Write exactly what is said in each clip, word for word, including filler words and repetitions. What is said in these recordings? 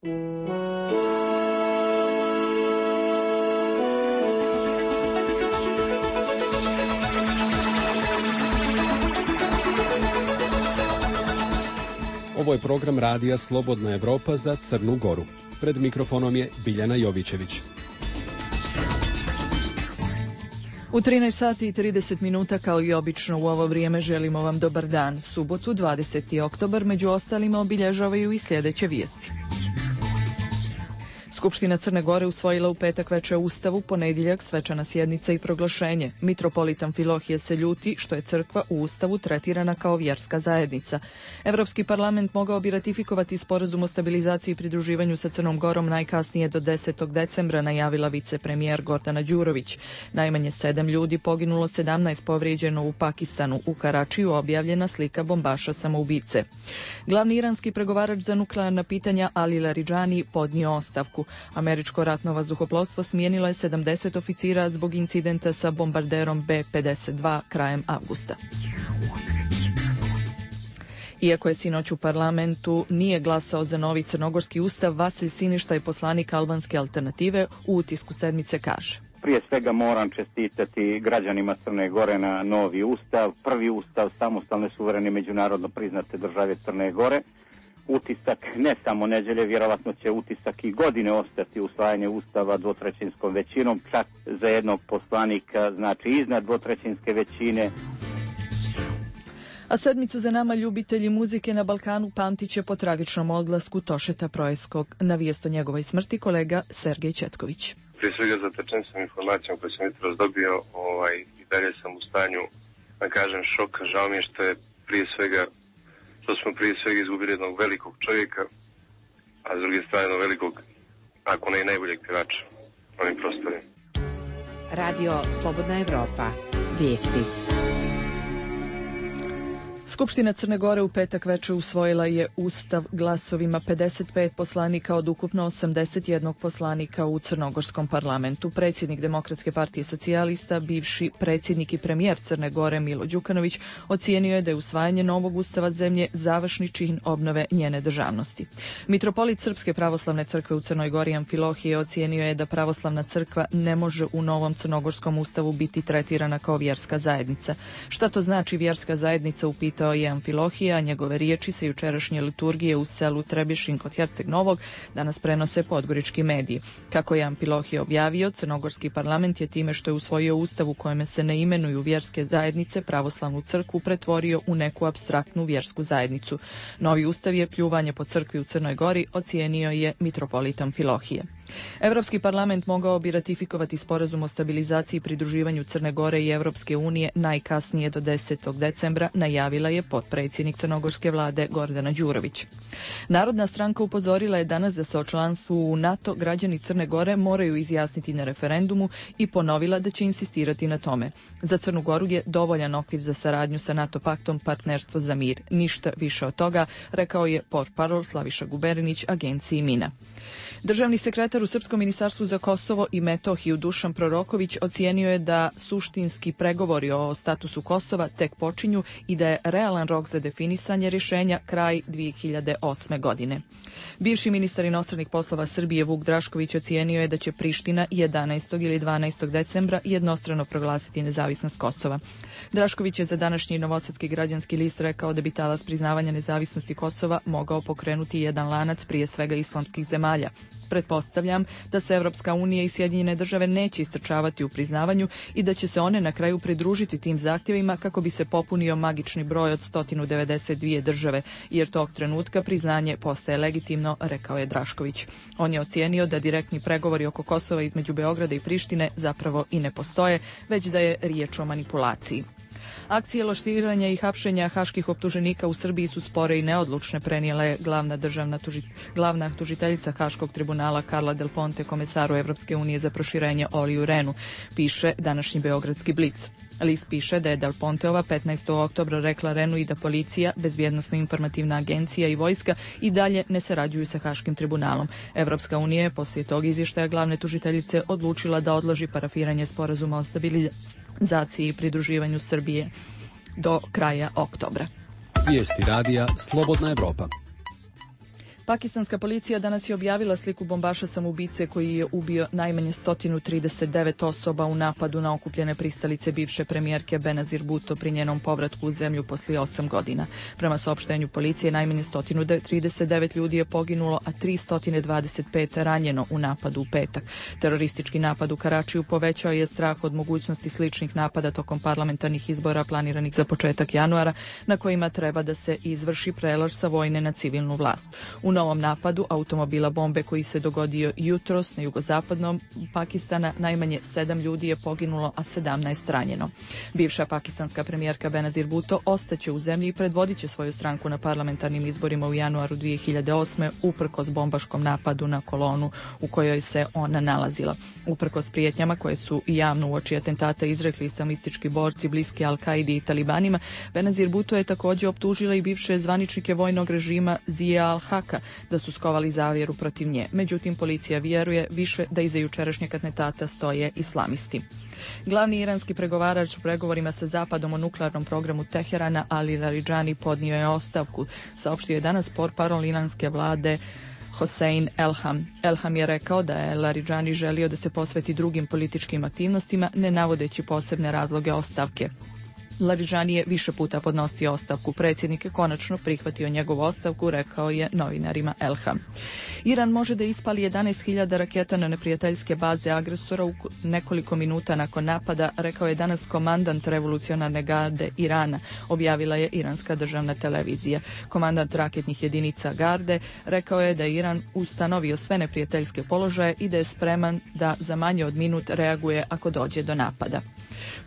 Ovo je program radija Slobodna Evropa za Crnu Goru. Pred mikrofonom je Biljana Jovićević. U trinaest sati i trideset minuta kao i obično u ovo vrijeme želimo vam dobar dan. Subotu, dvadeseti oktobar, među ostalima obilježavaju i sljedeće vijesti. Skupština Crne Gore usvojila u petak veče Ustavu, ponedjeljak svečana sjednica i proglašenje. Mitropolit Amfilohije se ljuti što je crkva u Ustavu tretirana kao vjerska zajednica. Evropski parlament mogao bi ratifikovati sporazum o stabilizaciji i pridruživanju sa Crnom Gorom najkasnije do desetog decembra, najavila vicepremijer Gordana Đurović. Najmanje sedam ljudi poginulo, sedamnaest povrijeđeno u Pakistanu. U Karačiju objavljena slika bombaša samoubice. Glavni iranski pregovarač za nuklearna pitanja Ali Laridžani podnio ostavku. Američko ratno vazduhoplovstvo smijenilo je sedamdeset oficira zbog incidenta sa bombarderom B pedeset dva krajem avgusta. Iako je sinoć u parlamentu nije glasao za novi crnogorski ustav, Vasilj Siništa je poslanik albanske alternative u utisku sedmice kaže: Prije svega moram čestitati građanima Crne Gore na novi ustav, prvi ustav samostalne, suverene, međunarodno priznate države Crne Gore. Utisak ne samo nedjelje, vjerovatno će utisak i godine ostati usvajanje ustava dvotrećinskom većinom, čak za jednog poslanika, znači iznad dvotrećinske većine. A sedmicu za nama ljubitelji muzike na Balkanu pamtit će po tragičnom odlasku Tošeta Projeskog. Na vijest o njegovoj smrti kolega Sergej Četković. Prije svega zatečen sam informacijom koju sam jutros dobio, ovaj, i dalje sam u stanju, da kažem, šoka. Žao mi je što je prije svega što smo prije svega izgubili jednog velikog čovjeka, a s druge strane jednog velikog, ako ne i najboljeg pjevača na ovim prostorima. Radio Slobodna Evropa. Vijesti. Skupština Crne Gore u petak večer usvojila je ustav glasovima pedeset pet poslanika od ukupno osamdeset jednog poslanika u crnogorskom parlamentu. Predsjednik Demokratske partije socijalista, bivši predsjednik i premijer Crne Gore Milo Đukanović ocijenio je da je usvajanje novog ustava zemlje završni čin obnove njene državnosti. Mitropolit Srpske pravoslavne crkve u Crnoj Gori Amfilohije ocijenio je da pravoslavna crkva ne može u novom crnogorskom ustavu biti tretirana kao vjerska zajednica. Šta to znači vjerska zajednica, upitao je Amfilohije, a njegove riječi se jučerašnje liturgije u selu Trebješin kod Herceg Novog danas prenose podgorički mediji. Kako je Amfilohije objavio, crnogorski parlament je time što je usvojio ustav u kojem se ne imenuju vjerske zajednice pravoslavnu crkvu pretvorio u neku apstraktnu vjersku zajednicu. Novi ustav je pljuvanje po crkvi u Crnoj Gori, ocijenio je mitropolit Amfilohije. Evropski parlament mogao bi ratifikovati sporazum o stabilizaciji i pridruživanju Crne Gore i Evropske unije najkasnije do desetog decembra, najavila je potpredsjednik crnogorske vlade Gordana Đurović. Narodna stranka upozorila je danas da se o članstvu u NATO građani Crne Gore moraju izjasniti na referendumu i ponovila da će insistirati na tome. Za Crnu Goru je dovoljan okvir za saradnju sa NATO paktom partnerstvo za mir. Ništa više od toga, rekao je portparol Slaviša Guberinić agenciji Mina. Državni sekretar u Srpskom ministarstvu za Kosovo i Metohiju Dušan Proroković ocijenio je da suštinski pregovori o statusu Kosova tek počinju i da je realan rok za definisanje rješenja kraj dvije hiljade osme godine. Bivši ministar inostranih poslova Srbije Vuk Drašković ocijenio je da će Priština jedanaestog ili dvanaestog decembra jednostrano proglasiti nezavisnost Kosova. Drašković je za današnji Novosadski građanski list rekao da bi talas priznavanja nezavisnosti Kosova mogao pokrenuti jedan lanac prije svega islamskih zemalja. Pretpostavljam da se Evropska unija i Sjedinjene države neće istrčavati u priznavanju i da će se one na kraju pridružiti tim zahtjevima kako bi se popunio magični broj od sto devedeset dvije države, jer tog trenutka priznanje postaje legitimno, rekao je Drašković. On je ocijenio da direktni pregovori oko Kosova između Beograda i Prištine zapravo i ne postoje, već da je riječ o manipulaciji. Akcije loštiranja i hapšenja haških optuženika u Srbiji su spore i neodlučne, prenijela je glavna državna tuži, glavna tužiteljica Haškog tribunala Carla Del Ponte komesaru Evropske unije za proširenje Oliju Renu, piše današnji Beogradski Blic. List piše da je Del Ponteova petnaestog oktobra rekla Renu i da policija, bezbjednosno-informativna agencija i vojska i dalje ne sarađuju sa Haškim tribunalom. Evropska unija je poslije tog izvještaja glavne tužiteljice odlučila da odloži parafiranje sporazuma o stabilizaciji i pridruživanju Srbije do kraja oktobra. Vijesti radija Slobodna Evropa. Pakistanska policija danas je objavila sliku bombaša samoubice koji je ubio najmanje sto trideset devet osoba u napadu na okupljene pristalice bivše premijerke Benazir Bhutto pri njenom povratku u zemlju poslije osam godina. Prema saopštenju policije, najmanje sto trideset devet ljudi je poginulo, a tristo dvadeset pet ranjeno u napadu u petak. Teroristički napad u Karačiju povećao je strah od mogućnosti sličnih napada tokom parlamentarnih izbora planiranih za početak januara, na kojima treba da se izvrši prelaz sa vojne na civilnu vlast. U novom napadu automobila bombe koji se dogodio jutros na jugozapadnom Pakistana, najmanje sedam ljudi je poginulo, a sedamnaest ranjeno. Bivša pakistanska premijerka Benazir Bhutto ostaće u zemlji i predvodit će svoju stranku na parlamentarnim izborima u januaru dvije hiljade osme uprkos bombaškom napadu na kolonu u kojoj se ona nalazila. Uprkos prijetnjama koje su javno uoči atentata izrekli islamistički borci bliski Al-Kaidi i talibanima, Benazir Bhutto je također optužila i bivše zvaničnike vojnog režima Zia al-Haka da su skovali zavjeru protiv nje. Međutim, policija vjeruje više da iza jučerašnjeg atentata stoje islamisti. Glavni iranski pregovarač u pregovorima sa Zapadom o nuklearnom programu Teherana, Ali Larijani, podnio je ostavku. Saopštio je danas portparol iranske vlade Hossein Elham. Elham je rekao da je Larijani želio da se posveti drugim političkim aktivnostima, ne navodeći posebne razloge ostavke. Larijani je više puta podnosio ostavku. Predsjednik je konačno prihvatio njegovu ostavku, rekao je novinarima Elham. Iran može da ispali jedanaest hiljada raketa na neprijateljske baze agresora u nekoliko minuta nakon napada, rekao je danas komandant revolucionarne garde Irana, objavila je iranska državna televizija. Komandant raketnih jedinica garde rekao je da je Iran ustanovio sve neprijateljske položaje i da je spreman da za manje od minut reaguje ako dođe do napada.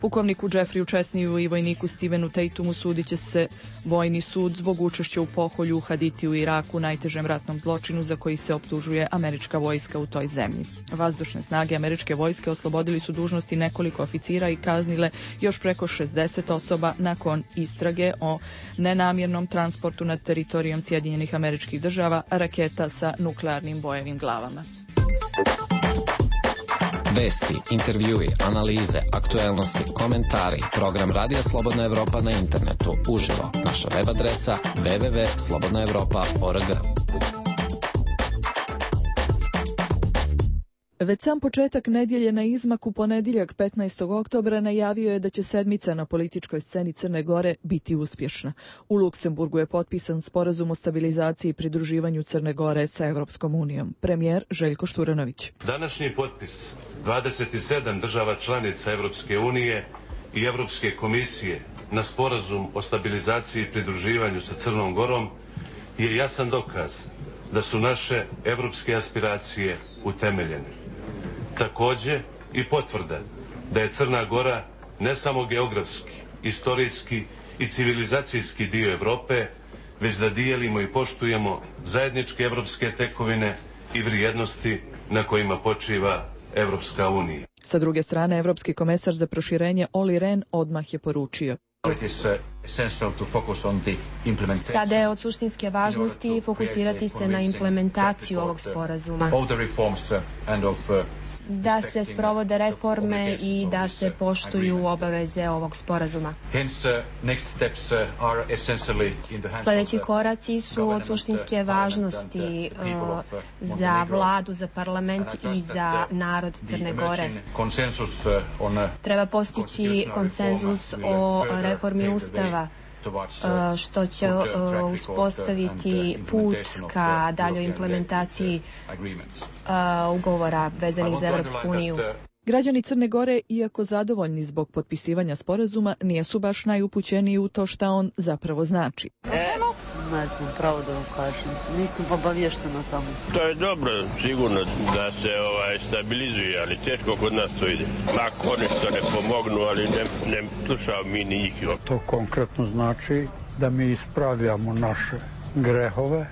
Pukovniku Jeffreyu Chesneyu i vojniku Stevenu Tatumu sudit će se vojni sud zbog učešća u pokolju u Haditi u Iraku, najtežem ratnom zločinu za koji se optužuje američka vojska u toj zemlji. Vazdušne snage američke vojske oslobodili su dužnosti nekoliko oficira i kaznile još preko šezdeset osoba nakon istrage o nenamjernom transportu nad teritorijom Sjedinjenih Američkih Država raketa sa nuklearnim bojevim glavama. Vesti, intervjui, analize, aktuelnosti, komentari, program Radija Slobodna Evropa na internetu, uživo, naša web adresa w w w tačka slobodna evropa tačka org. Već sam početak nedjelje na izmaku ponedjeljak petnaestog oktobra najavio je da će sedmica na političkoj sceni Crne Gore biti uspješna. U Luksemburgu je potpisan sporazum o stabilizaciji i pridruživanju Crne Gore sa Evropskom unijom. Premijer Željko Šturanović. Današnji potpis dvadeset sedam država članica Evropske unije i Evropske komisije na sporazum o stabilizaciji i pridruživanju sa Crnom Gorom je jasan dokaz da su naše evropske aspiracije utemeljene. Također i potvrda da je Crna Gora ne samo geografski, istorijski i civilizacijski dio Europe, već da dijelimo i poštujemo zajedničke evropske tekovine i vrijednosti na kojima počiva Evropska unija. Sa druge strane, Evropski komesar za proširenje Olli Rehn odmah je poručio: Sada je od suštinske važnosti fokusirati se na implementaciju ovog sporazuma, da se sprovode reforme i da se poštuju obaveze ovog sporazuma. Sljedeći koraci su od suštinske važnosti uh, za vladu, za parlament i za narod Crne Gore. Treba postići konsenzus o reformi Ustava, što će uspostaviti put ka daljoj implementaciji ugovora vezanih za Evropsku uniju. Građani Crne Gore, iako zadovoljni zbog potpisivanja sporazuma, nisu baš najupućeniji u to šta on zapravo znači. Ne znam, pravo da vam kažem. Nisam obavještena o tome. To je dobro, sigurno da se ovaj, stabilizuje, ali teško kod nas to ide. Ako oni što ne pomognu, ali ne, ne slušao mi ni njih. To konkretno znači da mi ispravljamo naše grehove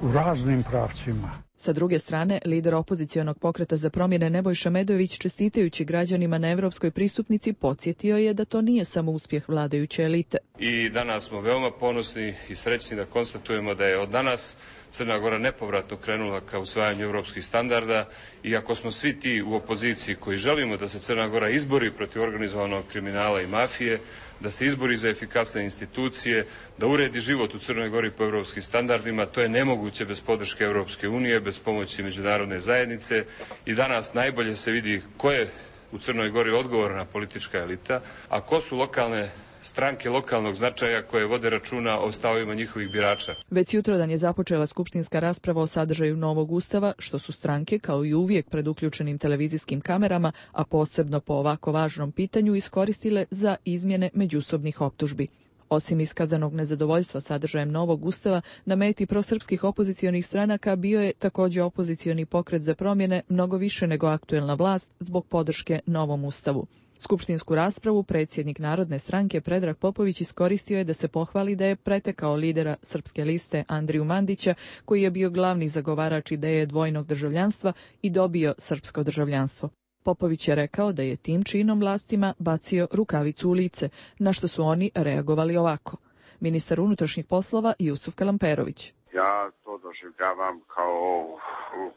u raznim pravcima. Sa druge strane, lider opozicionog pokreta za promjene Nebojša Medojević, čestitajući građanima na evropskoj pristupnici, podsjetio je da to nije samo uspjeh vladajuće elite. I danas smo veoma ponosni i srećni da konstatujemo da je od danas Crna Gora nepovratno krenula ka usvajanju europskih standarda i ako smo svi ti u opoziciji koji želimo da se Crna Gora izbori protiv organizovanog kriminala i mafije, da se izbori za efikasne institucije, da uredi život u Crnoj Gori po europskim standardima, to je nemoguće bez podrške Europske unije, bez pomoći međunarodne zajednice i danas najbolje se vidi ko je u Crnoj Gori odgovorna politička elita, a ko su lokalne stranke lokalnog značaja koje vode računa o stavovima njihovih birača. Već jutrodan je započela skupštinska rasprava o sadržaju novog ustava, što su stranke, kao i uvijek pred uključenim televizijskim kamerama, a posebno po ovako važnom pitanju, iskoristile za izmjene međusobnih optužbi. Osim iskazanog nezadovoljstva sadržajem novog ustava, na meti prosrpskih opozicionih stranaka bio je također opozicioni pokret za promjene, mnogo više nego aktuelna vlast, zbog podrške novom ustavu. Skupštinsku raspravu predsjednik Narodne stranke Predrag Popović iskoristio je da se pohvali da je pretekao lidera Srpske liste Andriju Mandića, koji je bio glavni zagovarač ideje dvojnog državljanstva i dobio srpsko državljanstvo. Popović je rekao da je tim činom vlastima bacio rukavicu u lice, na što su oni reagovali ovako. Ministar unutrašnjih poslova Jusuf Kalamperović. Ja to doživljavam kao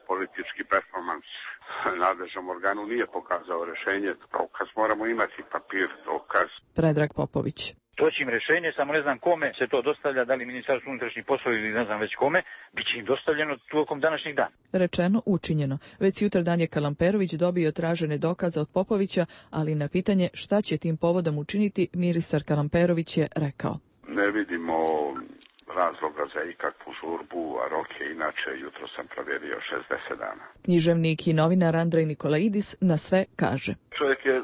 politički performans. Nadležnom organu nije pokazao rješenje. Dokaz moramo imati papir, dokaz. Predrag Popović. Doći im rješenje, samo ne znam kome se to dostavlja, da li Ministarstvo unutrašnjih poslova ili ne znam već kome, bit će im dostavljeno tokom današnjeg dana. Rečeno, učinjeno. Već sutradan je Kalamperović dobio tražene dokaze od Popovića, ali na pitanje šta će tim povodom učiniti, ministar Kalamperović je rekao. Ne vidimo razloga za ikakvu žurbu, a rok je inače, jutro sam provjerio, šezdeset dana. Književnik i novinar Andrej Nikolaidis na sve kaže. Čovjek je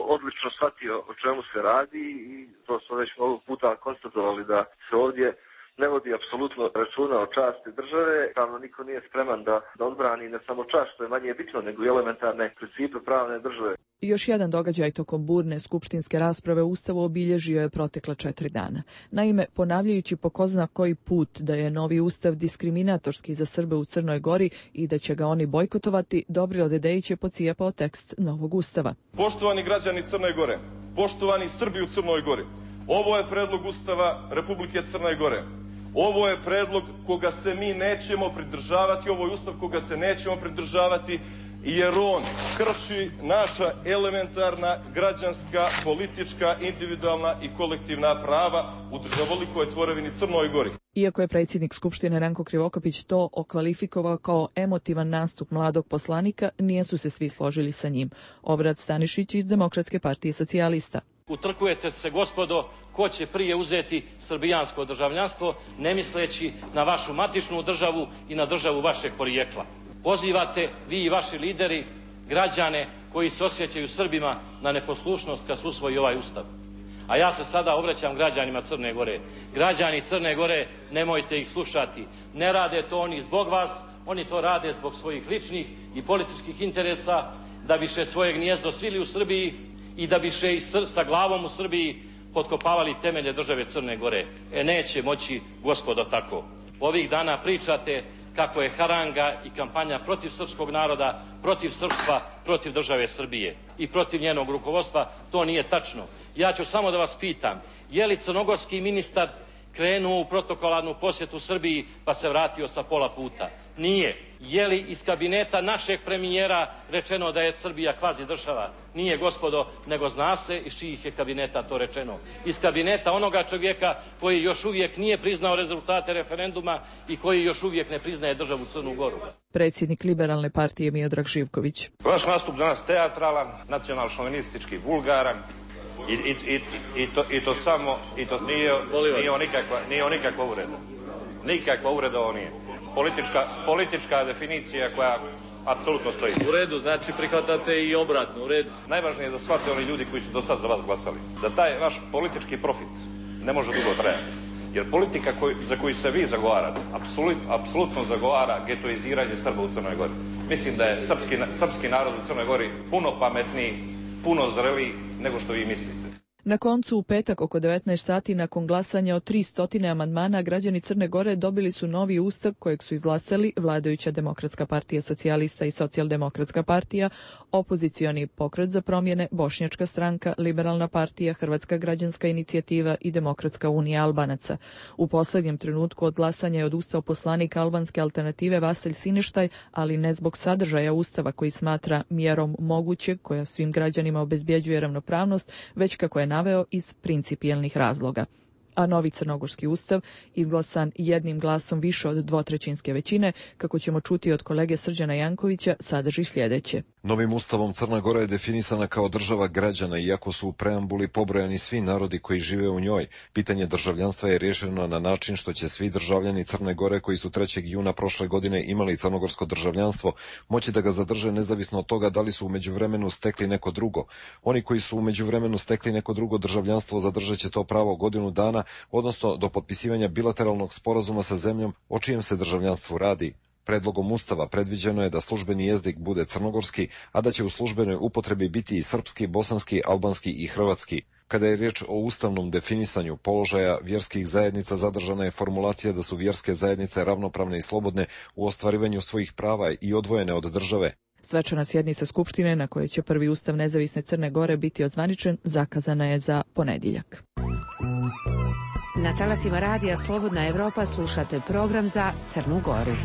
odlično shvatio o čemu se radi i to smo već mnogo puta konstatovali da se ovdje ne vodi apsolutno računa o časti države. Pravno niko nije spreman da, da odbrani ne samo čast, što je manje bitno, nego i elementarne principe pravne države. Još jedan događaj tokom burne skupštinske rasprave o Ustavu obilježio je protekla četiri dana. Naime, ponavljajući po ko zna koji put da je novi Ustav diskriminatorski za Srbe u Crnoj Gori i da će ga oni bojkotovati, Dobrilo Dedejić je pocijepao tekst novog Ustava. Poštovani građani Crne Gore, poštovani Srbi u Crnoj Gori, ovo je predlog Ustava Republike Crne Gore. Ovo je predlog koga se mi nećemo pridržavati, ovo je Ustav koga se nećemo pridržavati, jer on krši naša elementarna građanska, politička, individualna i kolektivna prava u državolikoj tvorevini Crnoj Gori. Iako je predsjednik Skupštine Ranko Krivokapić to okvalifikovao kao emotivan nastup mladog poslanika, nisu se svi složili sa njim. Obrad Stanišić iz Demokratske partije socijalista. Utrkujete se, gospodo, ko će prije uzeti srbijansko državljanstvo, ne misleći na vašu matičnu državu i na državu vašeg porijekla. Pozivate vi i vaši lideri građane koji se osjećaju Srbima na neposlušnost kad se usvoji ovaj Ustav. A ja se sada obraćam građanima Crne Gore. Građani Crne Gore, nemojte ih slušati. Ne rade to oni zbog vas, oni to rade zbog svojih ličnih i političkih interesa, da biše svoje gnijezdo svili u Srbiji i da biše i sa glavom u Srbiji potkopavali temelje države Crne Gore. E neće moći, gospodo, tako. Ovih dana pričate kako je haranga i kampanja protiv srpskog naroda, protiv srpstva, protiv države Srbije i protiv njenog rukovodstva. To nije tačno. Ja ću samo da vas pitam, je li crnogorski ministar krenuo u protokolarnu posjetu Srbiji pa se vratio sa pola puta? Nije. Je li iz kabineta našeg premijera rečeno da je Srbija kvazi država? Nije, gospodo, nego zna se iz čijih je kabineta to rečeno. Iz kabineta onoga čovjeka koji još uvijek nije priznao rezultate referenduma i koji još uvijek ne priznaje državu Crnu Goru. Predsjednik Liberalne partije Miodrag Živković. Vaš nastup danas teatralan, nacional-šovinistički, vulgaran. I, i, i, i, to, I to samo, i to nije, nije nikakva, nije nikakva uvreda. Nikakva uvreda ovo nije. Politička, politička definicija koja apsolutno stoji. U redu, znači prihvatate i obratno, u redu. Najvažnije je da shvate oni ljudi koji su do sad za vas glasali. Da taj vaš politički profit ne može dugo trajati. Jer politika koj, za koju se vi zagovarate, apsolut, apsolutno zagovara getoiziranje Srba u Crnoj Gori. Mislim da je srpski, srpski narod u Crnoj Gori puno pametniji, puno zreliji nego što vi mislite. Na koncu, u petak oko devetnaest sati nakon glasanja o tristo amandmana, građani Crne Gore dobili su novi ustav kojeg su izglasali vladajuća Demokratska partija socijalista i Socijaldemokratska partija, opozicioni Pokret za promjene, Bošnjačka stranka, Liberalna partija, Hrvatska građanska inicijativa i Demokratska unija Albanaca. U posljednjem trenutku od glasanja je odustao poslanik albanske alternative Vasilj Sineštaj, ali ne zbog sadržaja ustava koji smatra mjerom mogućeg koja svim građanima obezbjeđuje ravnopravnost, već kako je naveo iz principijelnih razloga. A novi crnogorski ustav, izglasan jednim glasom više od dvotrećinske većine, kako ćemo čuti od kolege Srđana Jankovića, sadrži sljedeće. Novim ustavom Crna Gora je definisana kao država građana, iako su u preambuli pobrojani svi narodi koji žive u njoj. Pitanje državljanstva je rješeno na način što će svi državljani Crne Gore koji su trećeg juna prošle godine imali crnogorsko državljanstvo moći da ga zadrže nezavisno od toga da li su u međuvremenu stekli neko drugo. Oni koji su u međuvremenu stekli neko drugo državljanstvo zadržat će to pravo godinu dana, odnosno do potpisivanja bilateralnog sporazuma sa zemljom o čijem se državljanstvu radi. Predlogom ustava predviđeno je da službeni jezik bude crnogorski, a da će u službenoj upotrebi biti i srpski, bosanski, albanski i hrvatski. Kada je riječ o ustavnom definisanju položaja vjerskih zajednica, zadržana je formulacija da su vjerske zajednice ravnopravne i slobodne u ostvarivanju svojih prava i odvojene od države. Svečana sjednica Skupštine, na kojoj će prvi ustav nezavisne Crne Gore biti ozvaničen, zakazana je za ponedjeljak. Na talasima radija Slobodna Evropa slušate program za Crnu Goru.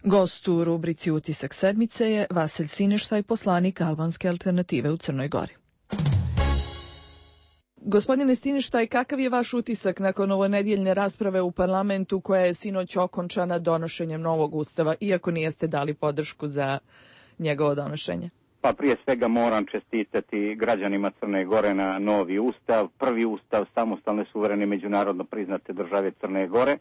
Gost u rubrici Utisak sedmice je Vasilj Sineštaj, poslanik albanske alternative u Crnoj Gori. Gospodine Sineštaj, kakav je vaš utisak nakon ovonedjeljne rasprave u parlamentu koja je sinoć okončana donošenjem novog ustava, iako nijeste dali podršku za njegovo donošenje? Pa prije svega moram čestitati građanima Crne Gore na novi ustav, prvi ustav samostalne, suverene, međunarodno priznate države Crne Gore.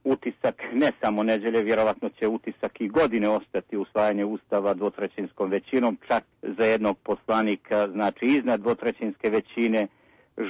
Utisak ne samo nedjelje, vjerovatno će utisak i godine ostati usvajanje ustava dvotrećinskom većinom, čak za jednog poslanika, znači iznad dvotrećinske većine.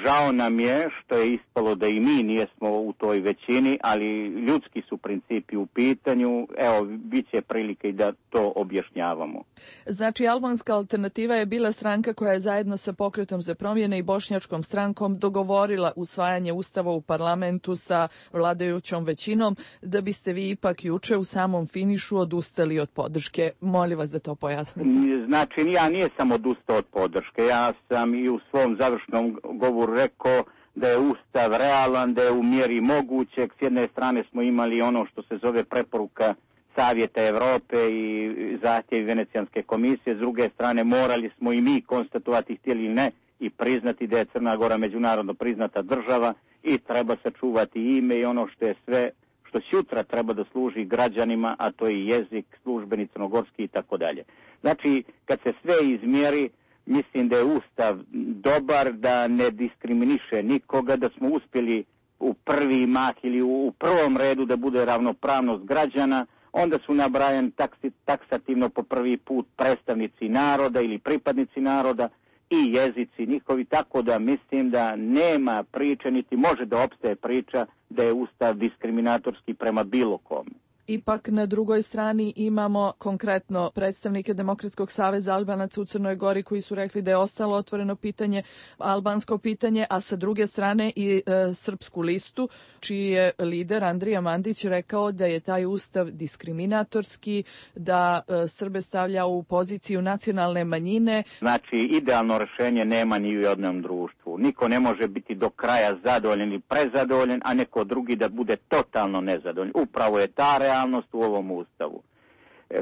Žao nam je što je ispalo da i mi nijesmo u toj većini, ali ljudski su principi u pitanju. Evo, bit će prilike i da to objašnjavamo. Znači, albanska alternativa je bila stranka koja je zajedno sa Pokretom za promjene i Bošnjačkom strankom dogovorila usvajanje ustava u parlamentu sa vladajućom većinom, da biste vi ipak juče u samom finišu odustali od podrške. Molim vas da to pojasnite. Znači, ja nisam odustao od podrške. Ja sam i u svom završnom govoru rekao da je ustav realan, da je u mjeri mogućeg. S jedne strane smo imali ono što se zove preporuka Savjeta Europe i zahtjevi Venecijanske komisije, s druge strane morali smo i mi konstatovati, htjeli ili ne, i priznati da je Crna Gora međunarodno priznata država i treba sačuvati ime i ono što je sve, što sutra treba da služi građanima, a to je jezik, službeni crnogorski i tako dalje. Znači, kad se sve izmjeri, mislim da je ustav dobar, da ne diskriminiše nikoga, da smo uspjeli u prvi mah ili u prvom redu da bude ravnopravnost građana. Onda su nabrajani taksi, taksativno po prvi put predstavnici naroda ili pripadnici naroda i jezici njihovi, tako da mislim da nema priče, niti može da opstaje priča da je ustav diskriminatorski prema bilo kome. Ipak na drugoj strani imamo konkretno predstavnike Demokratskog saveza Albanaca u Crnoj Gori koji su rekli da je ostalo otvoreno pitanje, albansko pitanje, a sa druge strane i e, Srpsku listu, čiji je lider Andrija Mandić rekao da je taj ustav diskriminatorski, da e, Srbe stavlja u poziciju nacionalne manjine. Znači, idealno rješenje nema ni u jednom društvu. Niko ne može biti do kraja zadovoljen ili prezadovoljen, a neko drugi da bude totalno nezadovoljen. Upravo je ta realnost u ovom ustavu.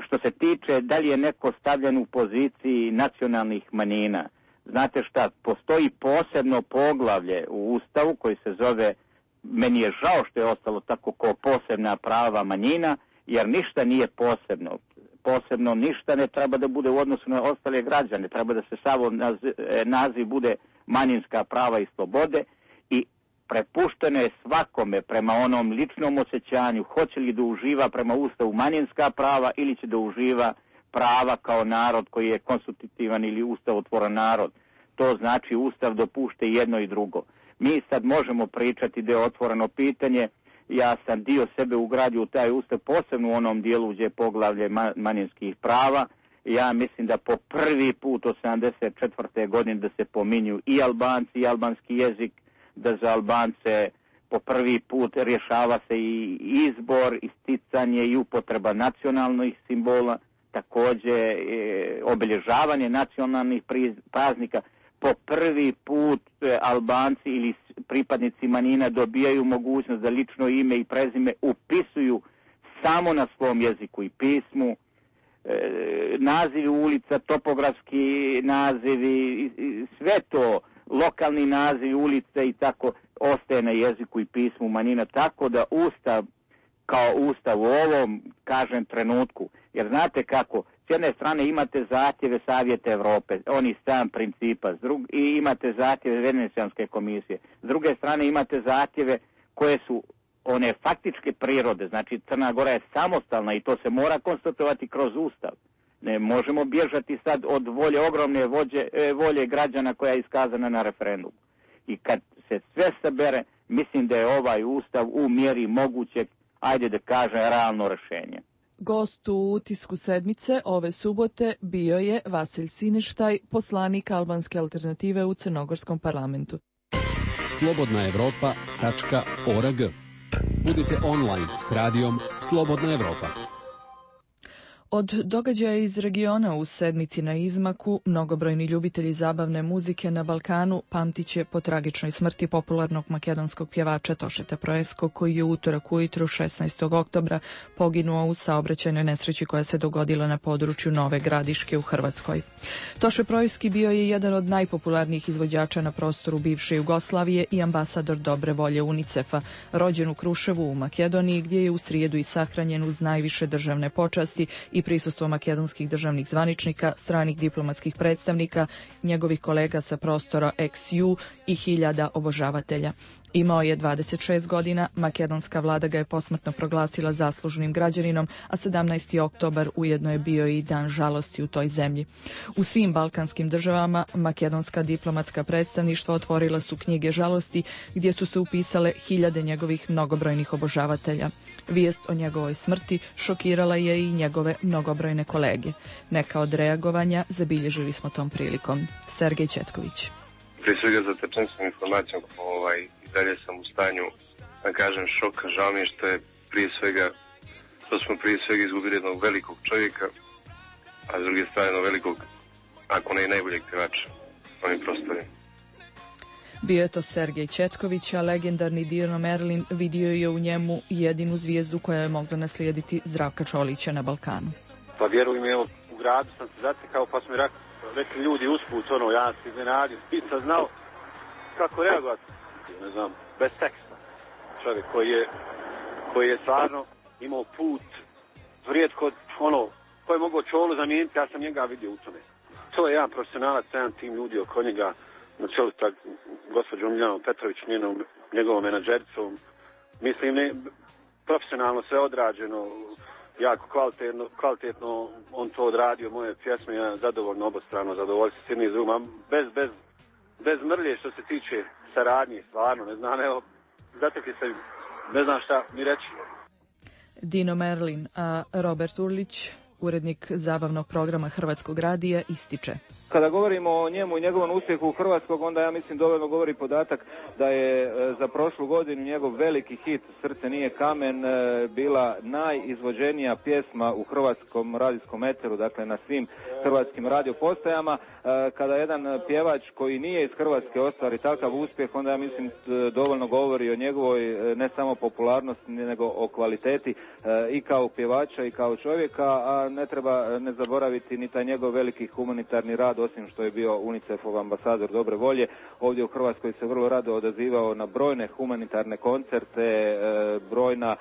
Što se tiče da li je neko stavljen u poziciji nacionalnih manjina, znate šta, postoji posebno poglavlje u ustavu koji se zove, meni je žao što je ostalo tako, kao posebna prava manjina, jer ništa nije posebno. Posebno ništa ne treba da bude u odnosu na ostale građane, treba da se samo naziv, naziv bude manjinska prava i slobode i prepušteno je svakome prema onom ličnom osjećanju, hoće li da uživa prema ustavu manjinska prava ili će da uživa prava kao narod koji je konstitutivan ili ustavotvoran narod. To znači ustav dopušta jedno i drugo. Mi sad možemo pričati da je otvoreno pitanje, ja sam dio sebe ugradio u taj ustav, posebno u onom dijelu gdje je poglavlje manjinskih prava Ja mislim da po prvi put od sedamdeset četvrte godine da se pominju i Albanci i albanski jezik, da za Albance po prvi put rješava se i izbor, isticanje i upotreba nacionalnih simbola, također e, obilježavanje nacionalnih praznika. Po prvi put e, Albanci ili pripadnici manjina dobijaju mogućnost da lično ime i prezime upisuju samo na svom jeziku i pismu. E, nazivi ulica, topografski nazivi, sve to, lokalni nazivi ulice i tako ostaje na jeziku i pismu manjina, tako da Ustav kao Ustav u ovom, kažem, trenutku, jer znate kako, s jedne strane imate zahtjeve Savjeta Europe, oni sam principa, drug, i imate zahtjeve Venecijanske komisije, s druge strane imate zahtjeve koje su one faktičke prirode, znači Crna Gora je samostalna i to se mora konstatovati kroz Ustav. Ne možemo bježati sad od volje, ogromne vođe, volje građana koja je iskazana na referendumu. I kad se sve sabere, mislim da je ovaj Ustav u mjeri mogućeg, ajde da kažem, realno rješenje. Gost u utisku sedmice ove subote bio je Vasilj Sineštaj, poslanik albanske alternative u Crnogorskom parlamentu. slobodna evropa tačka org. Budite online s radijom Slobodna Evropa. Od događaja iz regiona u sedmici na izmaku, mnogobrojni ljubitelji zabavne muzike na Balkanu pamtit će po tragičnoj smrti popularnog makedonskog pjevača Tošeta Proeskog, koji je utorak ujutru šesnaestog oktobra poginuo u saobraćajnoj nesreći koja se dogodila na području Nove Gradiške u Hrvatskoj. Toše Proeski bio je jedan od najpopularnijih izvođača na prostoru bivše Jugoslavije i ambasador dobre volje UNICEF-a, rođen u Kruševu u Makedoniji, gdje je u srijedu i sahranjen uz najviše državne počasti i prisustvo makedonskih državnih zvaničnika, stranih diplomatskih predstavnika, njegovih kolega sa prostora eks ju i hiljada obožavatelja. Imao je dvadeset šest godina, makedonska vlada ga je posmrtno proglasila zaslužnim građaninom, a sedamnaesti oktobar ujedno je bio i dan žalosti u toj zemlji. U svim balkanskim državama makedonska diplomatska predstavništva otvorila su knjige žalosti gdje su se upisale hiljade njegovih mnogobrojnih obožavatelja. Vijest o njegovoj smrti šokirala je i njegove mnogobrojne kolege. Neka od reagovanja zabilježili smo tom prilikom. Sergej Četković. Prije svega zatečen sam informacijom, ovaj, i dalje sam u stanju, da kažem, šoka. Žao mi je što je prije svega, što smo prije svega izgubili jednog velikog čovjeka, a s druge strane jednog velikog, ako ne i najboljeg pjevača na ovim prostorima. Bio je to Sergej Četković, a legendarni Dino Merlin vidio je u njemu jedinu zvijezdu koja je mogla naslijediti Zdravka Čolića na Balkanu. Pa vjerujem, evo, u gradu sam se zatekao, pa smo mi rekli ljudi usput, ono, ja sam iznenadio, nisam znao kako reagovati, ne znam, bez teksta. Čovjek koji je, koji je stvarno imao put, vrijetko, ono, koji je mogao Čolu zamijeniti, ja sam njega vidio u tome. To je jedan profesionalac, jedan tim ljudi oko njega, na čelu tak gospođom Miljanom Petrović, njenom, njegovom menadžericom. Mislim, ne, profesionalno sve odrađeno, jako kvalitetno, kvalitetno on to odradio, moje pjesme, ja zadovoljno, obostrano zadovoljstvo s jednim iz drugom, bez, bez, bez mrlje što se tiče saradnje, stvarno, ne znam, evo, zatekli se, ne znam šta mi reći. Dino Merlin, a Robert Urlić, urednik zabavnog programa Hrvatskog radija, ističe. Kada govorimo o njemu i njegovom uspjehu u Hrvatskog, onda ja mislim dovoljno govori podatak da je e, za prošlu godinu njegov veliki hit Srce nije kamen e, bila najizvođenija pjesma u hrvatskom radijskom eteru, dakle na svim hrvatskim radiopostajama. E, kada jedan pjevač koji nije iz Hrvatske ostvari takav uspjeh, onda ja mislim dovoljno govori o njegovoj ne samo popularnosti, nego o kvaliteti e, i kao pjevača i kao čovjeka, a ne treba ne zaboraviti ni taj njegov veliki humanitarni rad, osim što je bio UNICEF-ov ambasador dobre volje. Ovdje u Hrvatskoj se vrlo rado odazivao na brojne humanitarne koncerte, brojna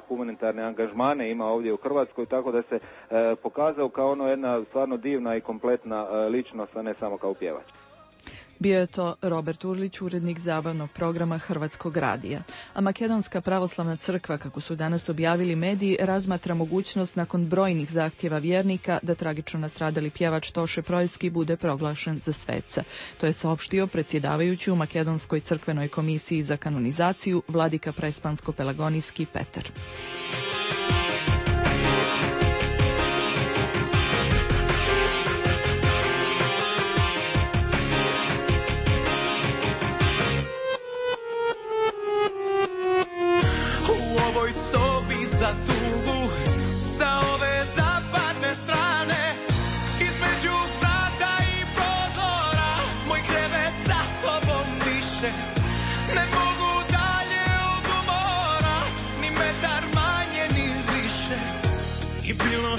humanitarne angažmane ima ovdje u Hrvatskoj, tako da se pokazao kao ono jedna stvarno divna i kompletna ličnost, a ne samo kao pjevač. Bio je to Robert Urlić, urednik zabavnog programa Hrvatskog radija. A Makedonska pravoslavna crkva, kako su danas objavili mediji, razmatra mogućnost nakon brojnih zahtjeva vjernika da tragično nastradali pjevač Toše Proeski bude proglašen za sveca. To je saopštio predsjedavajući u Makedonskoj crkvenoj komisiji za kanonizaciju vladika Prespansko-Pelagonijski Petar.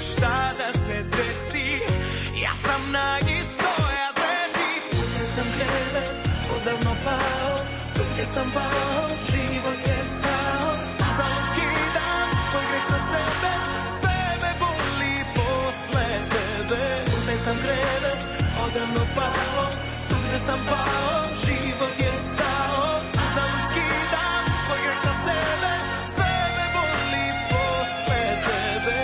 šta da se desi, ja sam na istoj adresi. Tu gdje sam krevet, odavno pao, tu gdje sam pao, život je stao. Uzalud skidam tvoj greh sa sebe, sve me boli posle tebe. Tu gdje sam krevet, odavno pao, tu gdje sam pao, život je stao. Uzalud skidam tvoj greh sa sebe, sve me boli posle tebe.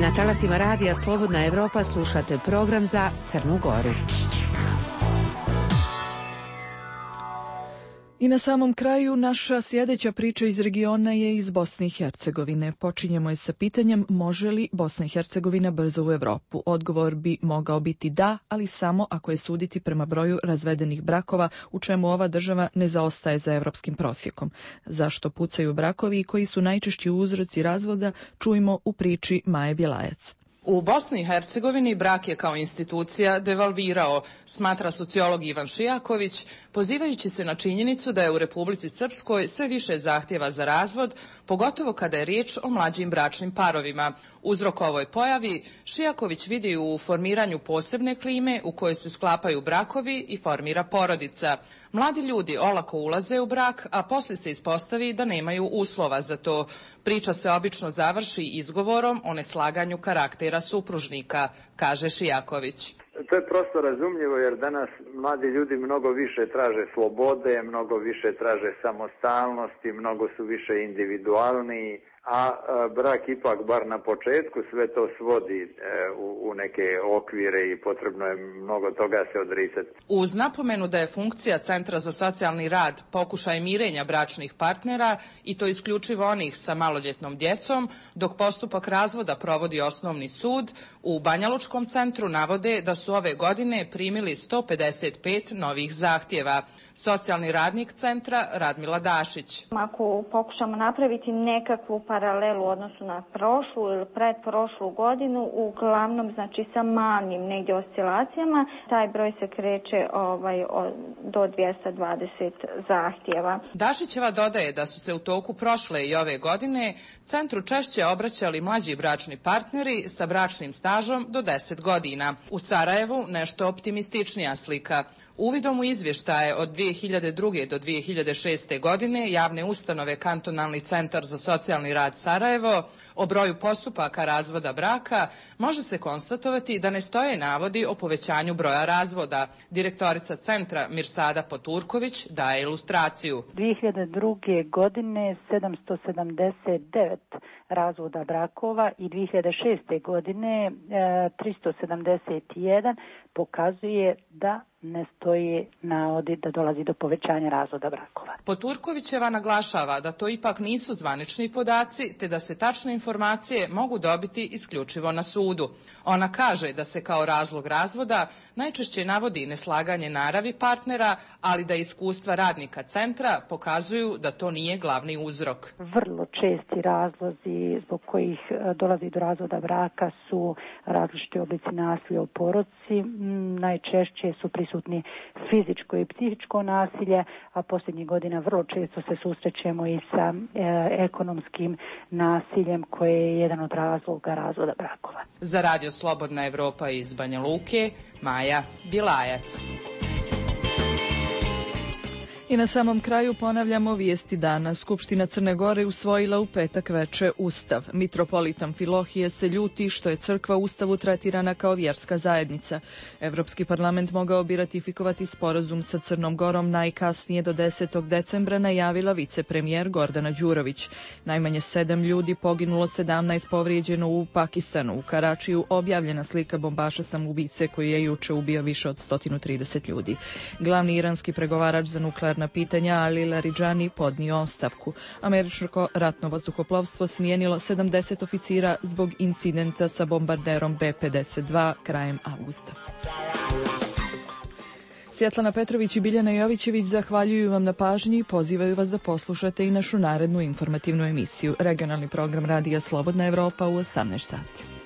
Na talasima radija Slobodna Evropa slušate program za Crnu Goru. I na samom kraju naša sljedeća priča iz regiona je iz Bosne i Hercegovine. Počinjemo je sa pitanjem može li Bosna i Hercegovina brzo u Evropu. Odgovor bi mogao biti da, ali samo ako je suditi prema broju razvedenih brakova, u čemu ova država ne zaostaje za evropskim prosjekom. Zašto pucaju brakovi i koji su najčešći uzroci razvoda, čujemo u priči Maje Bjelajac. U Bosni i Hercegovini brak je kao institucija devalvirao, smatra sociolog Ivan Šijaković, pozivajući se na činjenicu da je u Republici Srpskoj sve više zahtjeva za razvod, pogotovo kada je riječ o mlađim bračnim parovima. Uzrok ovoj pojavi Šijaković vidi u formiranju posebne klime u kojoj se sklapaju brakovi i formira porodica. Mladi ljudi olako ulaze u brak, a poslije se ispostavi da nemaju uslova za to. Priča se obično završi izgovorom o neslaganju karaktera supružnika, kaže Šijaković. To je prosto razumljivo jer danas mladi ljudi mnogo više traže slobode, mnogo više traže samostalnosti, mnogo su više individualniji, a brak ipak bar na početku sve to svodi u neke okvire i potrebno je mnogo toga se odricati. Uz napomenu da je funkcija Centra za socijalni rad pokušaj mirenja bračnih partnera i to isključivo onih sa maloljetnom djecom, dok postupak razvoda provodi osnovni sud, u Banjalučkom centru navode da su ove godine primili sto pedeset pet novih zahtjeva. Socijalni radnik centra Radmila Dašić. Ako pokušamo napraviti nekakvu paralelu u odnosu na prošlu ili predprošlu godinu, uglavnom znači sa malim negdje oscilacijama, taj broj se kreće ovaj, do dvjesto dvadeset zahtjeva. Dašićeva dodaje da su se u toku prošle i ove godine centru češće obraćali mlađi bračni partneri sa bračnim stažom do deset godina. U Sarajevu nešto optimističnija slika. Uvidom u izvještaje od dvije hiljade druge. do dvije hiljade šeste. godine javne ustanove Kantonalni centar za socijalni rad Sarajevo o broju postupaka razvoda braka može se konstatovati da ne stoje navodi o povećanju broja razvoda. Direktorica centra Mirsada Poturković daje ilustraciju. dvije hiljade druge. godine sedamsto sedamdeset devet razvoda brakova i dvije hiljade šeste. godine tristo sedamdeset jedan pokazuje da ne stoji navodi da dolazi do povećanja razvoda brakova. Poturkovićeva naglašava da to ipak nisu zvanični podaci, te da se tačne informacije mogu dobiti isključivo na sudu. Ona kaže da se kao razlog razvoda najčešće navodi neslaganje naravi partnera, ali da iskustva radnika centra pokazuju da to nije glavni uzrok. Vrlo česti razlozi zbog kojih dolazi do razvoda braka su različiti oblici nasilja u porodici. Najčešće su prisutni fizičko i psihičko nasilje, a posljednjih godina vrlo često se susrećemo i sa e, ekonomskim nasiljem koje je jedan od razloga razvoda brakova. Za Radio Slobodna Evropa iz Banja Luke, Maja Bjelajac. I na samom kraju ponavljamo vijesti dana. Skupština Crne Gore usvojila u petak veče Ustav. Mitropolit Amfilohije se ljuti što je crkva u Ustavu tretirana kao vjerska zajednica. Evropski parlament mogao bi ratifikovati sporazum sa Crnom Gorom najkasnije do desetog decembra, najavila vicepremijer Gordana Đurović. Najmanje sedam ljudi poginulo, sedamnaest povrijeđeno u Pakistanu. U Karačiju objavljena slika bombaša samoubice koji je juče ubio više od sto trideset ljudi. Glavni iranski pregovarač za nuklearna na pitanja Ali Laridžani podnio ostavku. Američko ratno vazduhoplovstvo smijenilo sedamdeset oficira zbog incidenta sa bombarderom B pedeset dva krajem avgusta. Svjetlana Petrović i Biljana Jovićević zahvaljuju vam na pažnji i pozivaju vas da poslušate i našu narednu informativnu emisiju. Regionalni program Radija Slobodna Evropa u osamnaest sati.